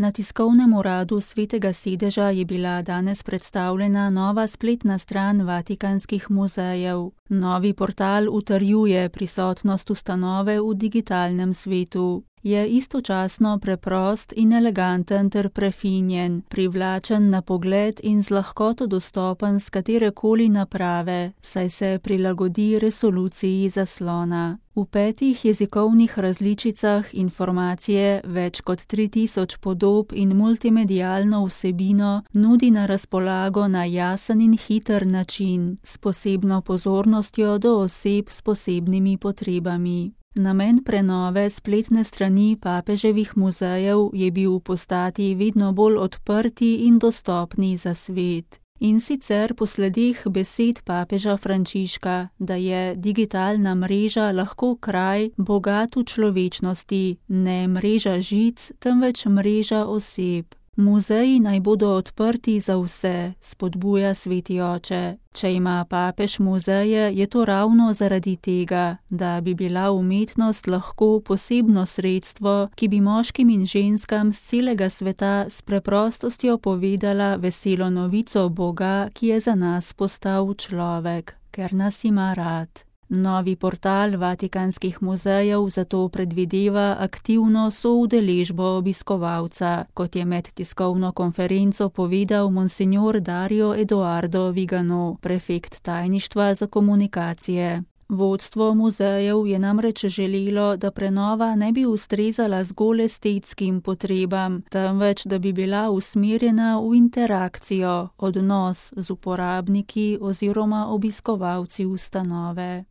Na tiskovnem uradu Svetega sedeža je bila danes predstavljena nova spletna stran Vatikanskih muzejev. Novi portal utrjuje prisotnost ustanove v digitalnem svetu. Je istočasno preprost in eleganten ter prefinjen, privlačen na pogled in z lahkoto dostopen s katerekoli naprave, saj se prilagodi resoluciji zaslona. V 5 jezikovnih različicah informacije, več kot 3000 podob in multimedialno vsebino nudi na razpolago na jasen in hiter način, s posebno pozornostjo do oseb s posebnimi potrebami. Namen prenove spletne strani papeževih muzejev je bil postati vedno bolj odprti in dostopni za svet. In sicer po sledeh besed papeža Frančiška, da je digitalna mreža lahko kraj bogat v človečnosti, ne mreža žic, temveč mreža oseb. Muzeji naj bodo odprti za vse, spodbuja Sveti oče. Če ima papež muzeje, je to ravno zaradi tega, da bi bila umetnost lahko posebno sredstvo, ki bi moškim in ženskam z celega sveta s preprostostjo povedala veselo novico Boga, ki je za nas postal človek, ker nas ima rad. Novi portal Vatikanskih muzejev zato predvideva aktivno soudeležbo obiskovalca, kot je med tiskovno konferenco povedal monsignor Dario Edoardo Vigano, prefekt tajništva za komunikacije. Vodstvo muzejev je namreč želelo, da prenova ne bi ustrezala zgolj estetskim potrebam, temveč da bi bila usmerjena v interakcijo, odnos z uporabniki oziroma obiskovalci ustanove.